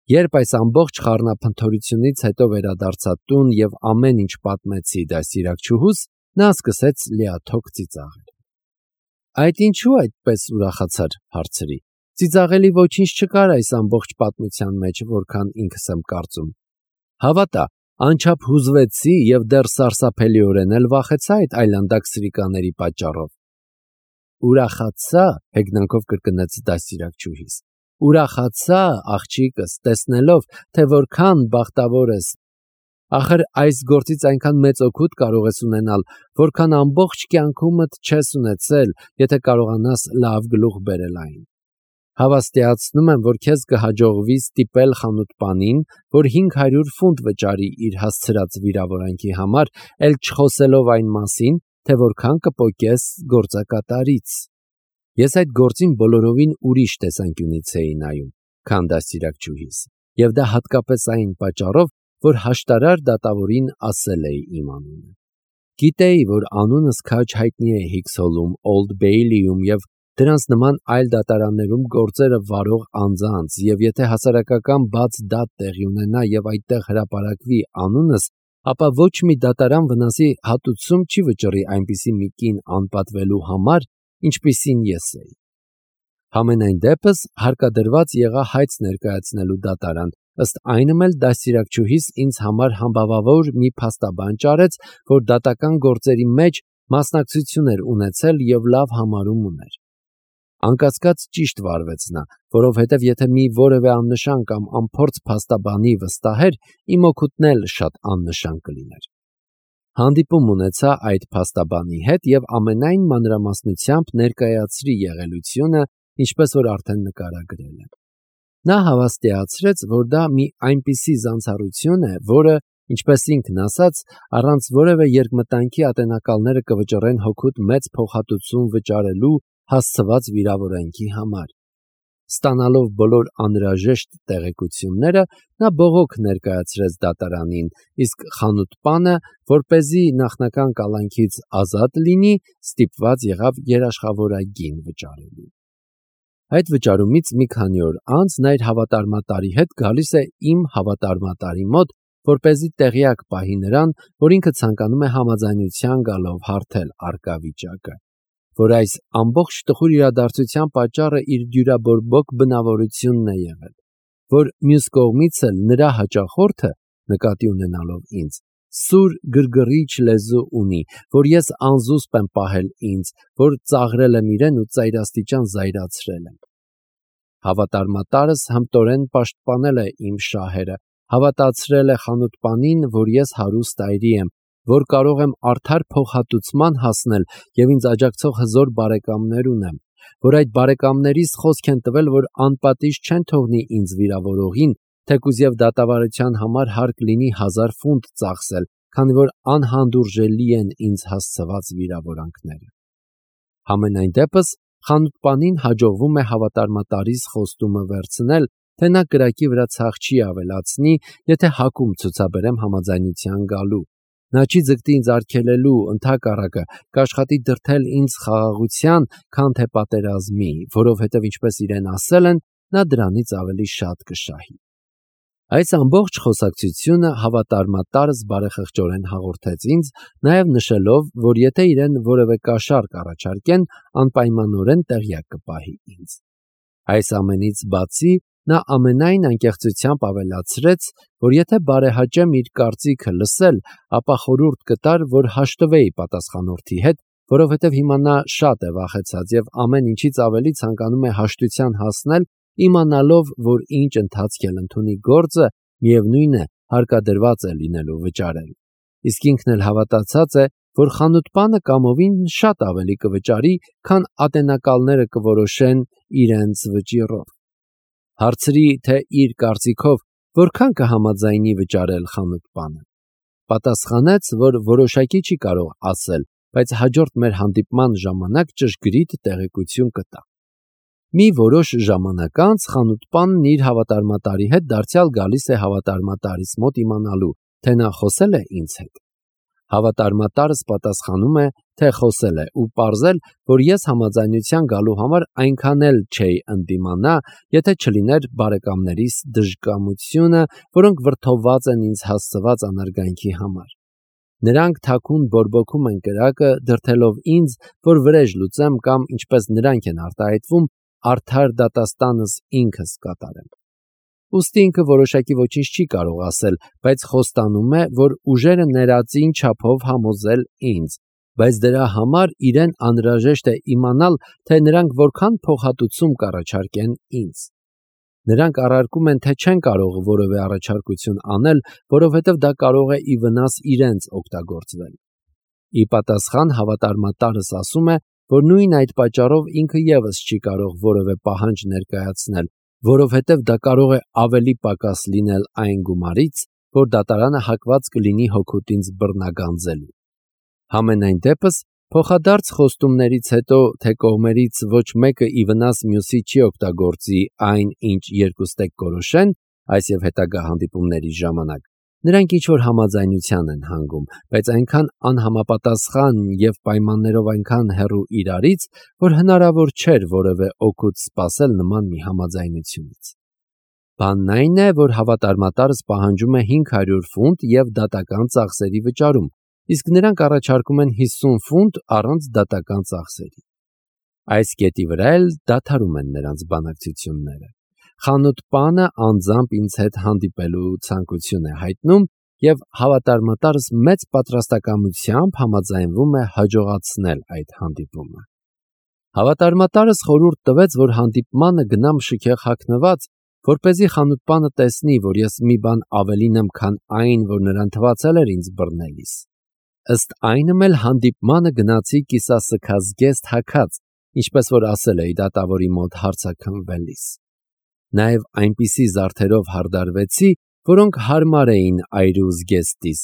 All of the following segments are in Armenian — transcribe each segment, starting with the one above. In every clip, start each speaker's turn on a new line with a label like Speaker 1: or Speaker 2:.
Speaker 1: Երբ այս ամբողջ խառնափնթորությունից հետո վերադարձա տուն եւ ամեն ինչ պատմեցի դաստիարակչուհուս, նա սկսեց լիաթոք ծիծաղել։ Այդ ինչու այդպես ուրախացար, հարցրի։ Ծիծաղելի ոչինչ չկար այս ամբողջ պատմության մեջ, որքան ինքս եմ կարծում։ Հավատա, անչափ հուզվեցի եւ դեռ սարսափելիորեն էլ վախեցա այդ այլանդակ սրիկաների պատճառով։ Ուրախացա, հեգնանքով կրկնեց դաստիարակչուհիս։ Ուրախացա, աղջիկս, տեսնելով, թե որքան բախտավոր ես։ Ախր այս գործից այնքան մեծ օգուտ կարող ես ունենալ, որքան ամբողջ կյանքումդ չես ունեցել, եթե կարողանաս լավ գլուխ բերել այն։ Հավաստիացնում եմ, որ քեզ կհաջողվի ստիպել խանութպանին, որ 500 ֆունտ վճարի իր հասցրած վիրավորանքի համար, էլ չխոսելով այն մասին, թե որքան կպոկես գործակատարից։ Ես այդ գործին բոլորովին ուրիշ տեսանկյունից էի նայում, քան դաստիարակչուհիս, եւ դա հատկապես այն պատճառով, որ հաշտարար դատավորին ասել էի իմ անունը։ Գիտեի, որ անունս քաջ հայտնի է Հիքսհոլում, Օլդ Բեյլիում եւ դրանց նման այլ դատարաններում գործերը վարող անձանց, եւ եթե հասարակական բաց դատ տեղի ունենա եւ այդտեղ հրապարակվի անունս, ապա ոչ մի դատարան վնասի հատուցում չի վճռի այնպիսի մի կին անպատվելու համար, ինչպիսին ես էի։ Համենայն դեպս հարկադրված եղա հայց ներկայացնելու դատարան, ըստ այնմ էլ դաստիարակչուհիս ինձ համար համբավավոր մի փաստաբան ճարեց, որ դատական գործերի մեջ մասնակցություն էր ունեցել եւ լավ համարում ուներ։ Անկասկած ճիշտ վարվեց նա, որովհետև եթե մի որևէ աննշան կամ անփորձ փաստաբանի վստահեր, իմ օգուտն էլ շատ աննշան կլիներ։ Հանդիպում ունեցա այդ փաստաբանի հետ եւ ամենայն մանրամասնությամբ ներկայացրի եղելությունը, ինչպես որ արդեն նկարագրել եմ։ Նա հավաստիացրեց, որ դա մի այնպիսի զանցառություն է, որը, ինչպես ինքն ասաց, առանց որևէ երկմտանքի ատենակալները կվճռեն հոգուտ մեծ փոխհատուցում վճարելու հասցված վիրավորանքի համար։ Ստանալով բոլոր անհրաժեշտ տեղեկությունները, նա բողոք ներկայացրեց դատարանին, իսկ խանութպանը, որպեսզի նախնական կալանքից ազատ լինի, ստիպված եղավ երաշխավորագին վճարելու։ Այդ վճարումից մի քանի օր անց նա իր հավատարմատարի հետ գալիս է իմ հավատարմատարի մոտ, որպեսզի տեղյակ պահի նրան, որ ինքը ցանկանում է համաձայնության գալով հարթել առկա վիճակը, որ այս ամբողջ տխուր իրադարձության պատճառը իր դյուրաբորբոք բնավորությունն է եղել, որ մյուս կողմից էլ նրա հաճախորդը, նկատի ունենալով ինձ, սուր գրգռիչ լեզու ունի, որ ես անզուսպ եմ պահել ինձ, որ ծաղրել եմ իրեն ու ծայրաստիճան զայրացրել եմ։ Հավատարմատարս հմտորեն պաշտպանել է իմ շահերը, հավատացրել է խանութպանին, որ ես հարուստ այրի եմ, որ կարող եմ արդար փոխհատուցման հասնել եւ ինձ աջակցող հզոր բարեկամներ ունեմ, որ այդ բարեկամներիս խոսք են տվել, որ անպատիժ չեն թողնի ինձ վիրավորողին, թեկուզ եւ դատավարության համար հարկ լինի 1000 ֆունտ ծախսել, քանի որ անհանդուրժելի են ինձ հասցված վիրավորանքները։ Համենայն դեպս խանութպանին հաջողվում է հավատարմատարիս խոստումը վերցնել, թե նա կրակի վրա ցախ չի ավելացնի, եթե հակում ցուցաբերեմ համաձայնության գալու։ Նա չի ձգտի ինձ արգելելու, ընդհակառակը կաշխատի դրդել ինձ խաղաղության, քան թե պատերազմի, որովհետև ինչպես իրեն ասել են, նա դրանից ավելի շատ կշահի։ Այս ամբողջ խոսակցությունը հավատարմատարս բարեխղճորեն հաղորդեց ինձ, նաև նշելով, որ եթե իրեն որևէ կաշառք առաջարկեն, անպայմանորեն տեղյակ կպահի ինձ։ Այս ամենից բացի նա ամենայն անկեղծությամբ ավելացրեց, որ եթե բարեհաճեմ իր կարծիքը լսել, ապա խորհուրդ կտար, որ հաշտվեի պատասխանորդի հետ, որովհետև հիմա նա շատ է վախեցած եւ ամեն ինչից ավելի ցանկանում է հաշտության հասնել, իմանալով, որ ինչ ընթացք էլ ընդունի գործը, միևնույն է, հարկադրված է լինելու վճարել։ Իսկ ինքն էլ հավատացած է, որ խանութպանը կամովին շատ ավելի կվճարի, քան ատենակալները կորոշեն իրենց վճիռով։ Հարցրի, թե իր կարծիքով որքան կհամաձայնի վճարել խանութպանը։ Պատասխանեց, որ որոշակի չի կարող ասել, բայց հաջորդ մեր հանդիպման ժամանակ ճշգրիտ տեղեկություն կտա։ Մի որոշ ժամանակ անց խանութպանն իր հավատարմատարի հետ դարձյալ գալիս է հավատարմատարիս մոտ իմանալու, թե նա խոսել է ինձ հետ։ Հավատարմատարս պատասխանում է, թե խոսել է ու պարզել, որ ես համաձայնության գալու համար այնքան էլ չէի ընդդիմանա, եթե չլիներ բարեկամներիս դժկամությունը, որոնք վրդովված են ինձ հասցված անարգանքի համար։ Նրանք թաքուն բորբոքում են կրակը, դրդելով ինձ, որ վրեժ լուծեմ կամ, ինչպես նրանք են արտահայտվում, արդար դատաստանս ինքս կատարեմ։ Ուստի ինքը որոշակի ոչինչ չի կարող ասել, բայց խոստանում է, որ ուժերը ներածին չափով համոզել ինձ, բայց դրա համար իրեն անհրաժեշտ է իմանալ, թե նրանք որքան փոխհատուցում կառաջարկեն ինձ։ Նրանք առարկում են, թե չեն կարող որևէ առաջարկություն անել, որովհետև դա կարող է ի վնաս իրենց օգտագործվել։ Ի պատասխան հավատարմատարս ասում է, որ նույն այդ պատճառով ինքը ևս չի կարող որևէ պահանջ ներկայացնել, որովհետև դա կարող է ավելի պակաս լինել այն գումարից, որ դատարանը հակված կլինի հօգուտ ինձ բռնագանձելու։ Համենայն դեպս, փոխադարձ խոստումներից հետո, թե կողմերից ոչ մեկը ի վնաս մյուսի չի օգտագործի այն, ինչ երկուստեք կորոշեն, այս եւ հետագա հանդիպումների ժամանակ, նրանք ինչ-որ համաձայնության են հանգում, բայց այնքան անհամապատասխան եւ պայմաններով այնքան հեռու իրարից, որ հնարավոր չէր որևէ օգուտ սպասել նման մի համաձայնությունից։ Բանն այն է, որ հավատարմատարս պահանջում է 500 ֆունտ եւ դատական ծախսերի վճարում, իսկ նրանք առաջարկում են 50 ֆունտ առանց դատական ծախսերի։ Այս կետի վրա էլ դադարում են նրանց բանակցությունները։ Խանութ պանը անձամբ ինձ հետ հանդիպելու ցանկություն է հայտնում եւ հավատարմատարս մեծ պատրաստակամությամբ համաձայնվում է հաջողացնել այդ հանդիպումը։ Հավատարմատարս խորհուրդ տվեց, որ հանդիպմանը գնամ շքեղ հագնված, որպեսզի խանութ պանը տեսնի, որ ես մի բան ավելին եմ, քան այն, որ նրան թվացել էր ինձ բռնելիս։ Ըստ այնմ էլ հանդիպմանը գնացի կիսասքազգեստ հագած, ինչպես որ ասել էի դատավորի մոտ հարցաքննվելիս։ Նաև այնպիսի զարդերով հարդարվեցի, որոնք հարմար էին այրու զգեստիս։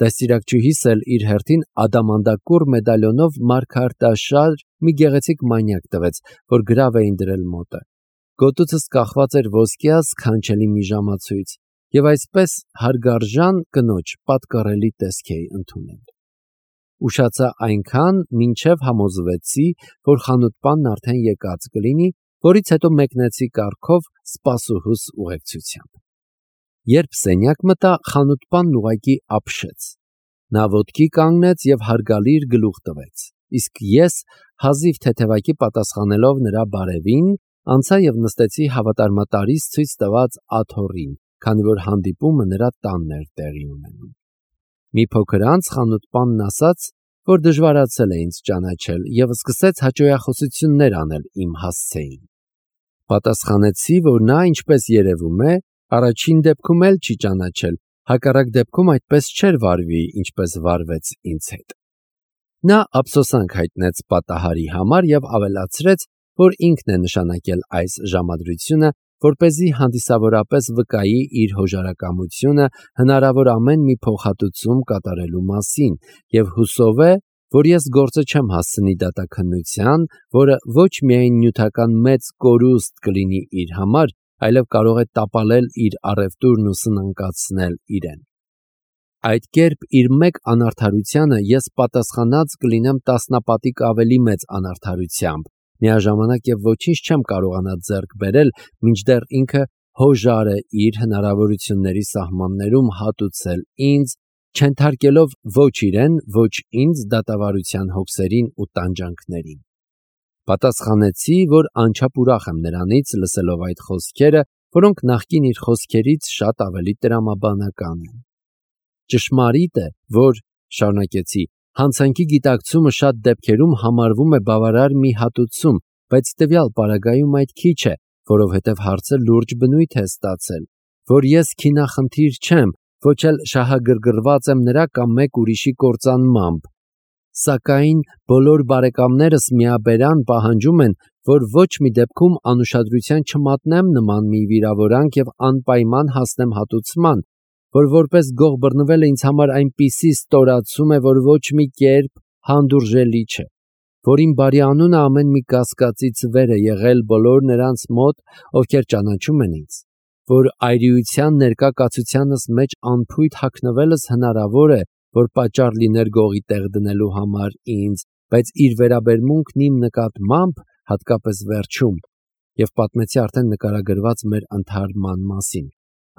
Speaker 1: Դաստիարակչուհիս էլ իր հերթին ադամանդակուռ մեդալյոնով մարգարտաշար մի գեղեցիկ մանյակ տվեց, որ գրավ էին դրել մոտը։ Գոտուցս կախված էր ոսկյա սքանչելի մի ժամացույց, եւ այսպես հարգարժան կնոջ պատկառելի տեսք էի ընդունել։ Ուշացա այնքան, մինչև համոզվեցի, որ խանութպանն արդեն եկած կլինի, որից հետո մեկնեցի կառքով սպասուհուս ուղեկցությամբ։ Երբ սենյակ մտա, խանութպանն ուղղակի ապշեց։ Նա ոտքի կանգնեց եւ հարգալի իր գլուխ տվեց, իսկ ես, հազիվ թեթևակի պատասխանելով նրա բարևին, անցա եւ նստեցի հավատարմատարից ցույց տված աթոռին, քանի որ հանդիպումը նրա տանն էր տեղի ունենում։ Մի փոքր անց խանութպանն ասաց, որ դժվարացել է ինձ ճանաչել եւ սկսեց հաճոյախոսություններ անել իմ հասցեին։ Պատասխանեցի, որ նա, ինչպես երևում է, առաջին դեպքում էլ չի ճանաչել, հակառակ դեպքում այդպես չէր վարվի, ինչպես վարվեց ինձ հետ։ Նա ափսոսանք հայտնեց պատահարի համար եւ ավելացրեց, որ ինքն է նշանակել այս ժամադրությունը, որպեսզի հանդիսավորապես վկայի իր հոժարակամությունը հնարավոր ամեն մի փոխհատուցում կատարելու մասին եւ հուսով է, որ ես գործը չեմ հասցնի դատաքննության, որը ոչ միայն նյութական մեծ կորուստ կլինի իր համար, այլև կարող է տապալել իր առևտուրն ու սնանկացնել իրեն։ Այդ կերպ իր մեկ անարդարությանը ես պատասխանած կլինեմ տասնապատիկ ավելի մեծ անարդարությամբ, միաժամանակ եւ ոչինչ չեմ կարողանա ձեռք բերել, մինչդեռ ինքը հոժար է իր հնարավորությունների սահմաններում հատուցել ինձ, չենթարկելով ոչ իրեն, ոչ ինձ դատավարության հոգսերին ու տանջանքներին։ Պատասխանեցի, որ անչափ ուրախ եմ նրանից լսելով այդ խոսքերը, որոնք նախկին իր խոսքերից շատ ավելի տրամաբանական են։ Ճշմարիտ է, որ, շարունակեցի, հանցանքի գիտակցումը շատ դեպքերում համարվում է բավարար մի հատուցում, բայց տվյալ պարագայում այդ քիչ է, որովհետև հարցը լուրջ բնույթ է ստացել, որ ես քինախնդիր չեմ, ոչ էլ շահագրգռված եմ նրա կամ մեկ ուրիշի կործանմամբ։ Սակայն բոլոր բարեկամներս միաբերան պահանջում են, որ ոչ մի դեպքում անուշադրության չմատնեմ նման մի վիրավորանք եւ անպայման հասնեմ հատուցման, որ որպես գող բռնվելը ինձ համար այնպիսի ստորացում է, որ ոչ մի կերպ հանդուրժելի չէ, որ իմ բարի անունը ամեն մի կասկածից վեր է եղել բոլոր նրանց մոտ, ովքեր ճանաչում են ինձ, որ այրիության ներկա կացությանս մեջ անփույթ հագնվելս հնարավոր է, որ պատճառ լիներ գողի տեղ դնելու համար ինձ, բայց իր վերաբերմունքն իմ նկատմամբ, հատկապես վերջում, եւ պատմեցի արդեն նկարագրված մեր ընդհարման մասին,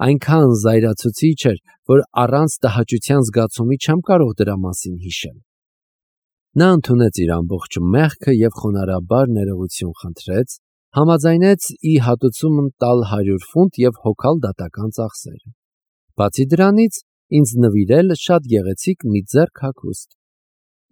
Speaker 1: այնքան զայրացուցիչ էր, որ առանց տհաճության զգացումի չեմ կարող դրա մասին հիշել։ Նա ընդունեց իր ամբողջ մեղքը եւ խոնարհաբար ներողություն խնդրեց, համաձայնեց ի հատուցում տալ 100 ֆունտ եւ հոգալ դատական ծախսերը։ Բացի դրանից, ինձ նվիրել շատ գեղեցիկ մի ձեռք հագուստ։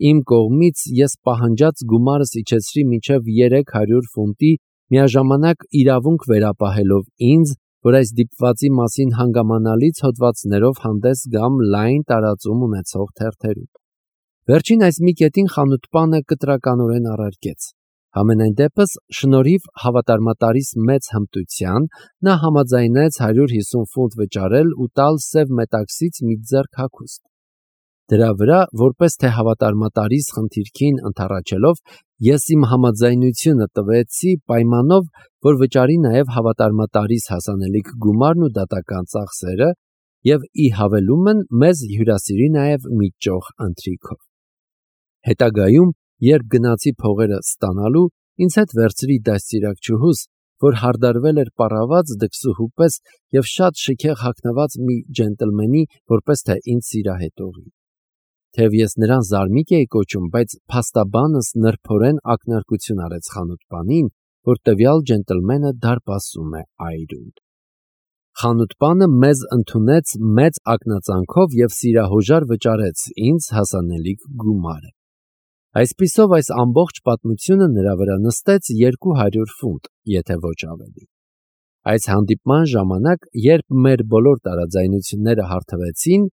Speaker 1: Իմ կողմից ես պահանջած գումարս իջեցրի մինչև 300 ֆունտի, միաժամանակ իրավունք վերապահելով ինձ, որ այս դիպվածի մասին հանգամանալից հոդվածներով հանդես գամ լայն տարածում ունեցող թերթերում։ Վերջին այս մի կետին խանութպանը կտրականորեն առարկեց։ Համենայն դեպս, շնորհիվ հավատարմատարիս մեծ հմտության, նա համաձայնեց 150 ֆունտ վճարել ու տալ սև մետաքսից մի ձեռք հագուստ։ Դրա վրա, որպես թե հավատարմատարիս խնդիրքին ընդառաջելով, ես իմ համաձայնությունը տվեցի պայմանով, որ վճարի նաև հավատարմատարիս հասանելիք գումարն ու դատական ծախսերը եւ ի հավելումն մեզ հյուրասիրի նաև մի ճոխ ընթրիքով։ Հետագայում, երբ գնացի փողերը ստանալու, ինձ հետ վերցրի դաստիարակչուհուս, որ հարդարվել էր պառաված դքսուհու պես եւ շատ շքեղ հագնված մի ջենտլմենի, որպես թե ինձ սիրահետողի։ Թեև ես նրան զարմիկ էի կոչում, բայց փաստաբանս նրբորեն ակնարկություն արեց խանութպանին, որ տվյալ ջենտլմենը դարպասում է այրուն։ Խանութպանը մեզ ընդունեց մեծ ակնածանքով եւ սիրահոժար վճարեց ինձ հասանելիք գումարը։ Այսպիսով այս ամբողջ պատմությունը նրա վրա նստեց 200 ֆունտ, եթե ոչ ավելի։ Այս հանդիպման ժամանակ, երբ մեր բոլոր տարաձայնությունները հարթվեցին,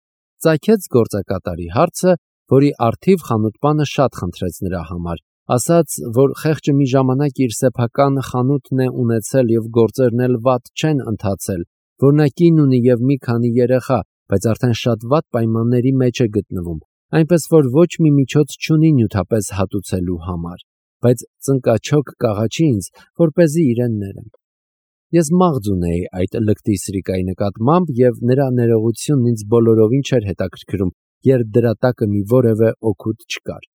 Speaker 1: ծագեց գործակատարի հարցը, որի առթիվ խանութպանը շատ խնդրեց նրա համար, ասաց, որ խեղճը մի ժամանակ իր սեփական խանութն է ունեցել եւ գործերն էլ վատ չեն ընթացել, որ նա կին ունի եւ մի քանի երեխա, բայց արդեն շատ վատ պայմանների մեջ է գտնվում, այնպես որ ոչ մի միջոց չունի նյութապես հատուցելու համար, բայց ծնկաչոք կաղաչի ինձ, որպեսզի իրեն ներեմ։ Ես մաղձ ունեի այդ լկտի սրիկայի նկատմամբ եւ նրա ներողությունն ինձ բոլորովին չէր հետաքրքրում, երբ դրա տակը մի որևէ օգուտ չկար։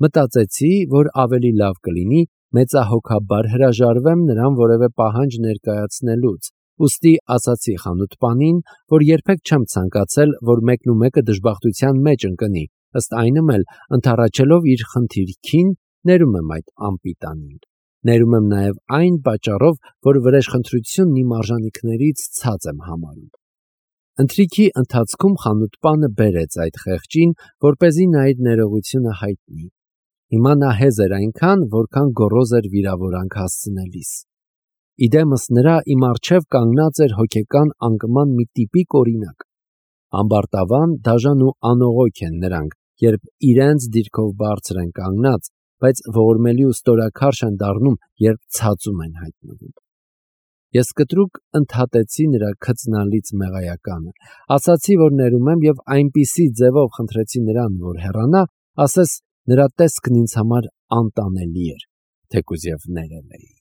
Speaker 1: Մտածեցի, որ ավելի լավ կլինի մեծահոգաբար հրաժարվեմ նրան որևէ պահանջ ներկայացնելուց, ուստի ասացի խանութպանին, որ երբեք չեմ ցանկացել, որ մեկնումեկը դժբախտության մեջ ընկնի, ըստ այնմ էլ ընդառաջելով իր խնդիրքին, ներում եմ այդ անպիտանին։ Ներում եմ նաև այն պատճառով, որ վրեժխնդրությունն իմ արժանինքներից ցած եմ համարում։ Ընթրիքի ընթացքում խանութպանը բերեց այդ խեղճին, որպեսզի նա իր ներողությունը հայտնի։ Հիմա նա հեզ էր այնքան, որքան գոռոզ էր վիրավորանք հասցնելիս։ Իդեմս նրա իմ առջև կանգնած էր հոգեկան անկման մի տիպիկ օրինակ։ Ամբարտավան, դաժան ու անողոք են նրանք, երբ իրենց դիրքով բարձր են կանգնած, բայց ողորմելի ու ստորաքարշ են դառնում, երբ ցածում են հայտնվում։ Ես կտրուկ ընդհատեցի նրա քծնալից մեղայականը, ասացի, որ ներում եմ եւ այնպիսի ձևով խնդրեցի նրան, որ հեռանա, ասես նրա տեսքն ինձ համար անտանելի էր, թեկուզ եւ ներել էի։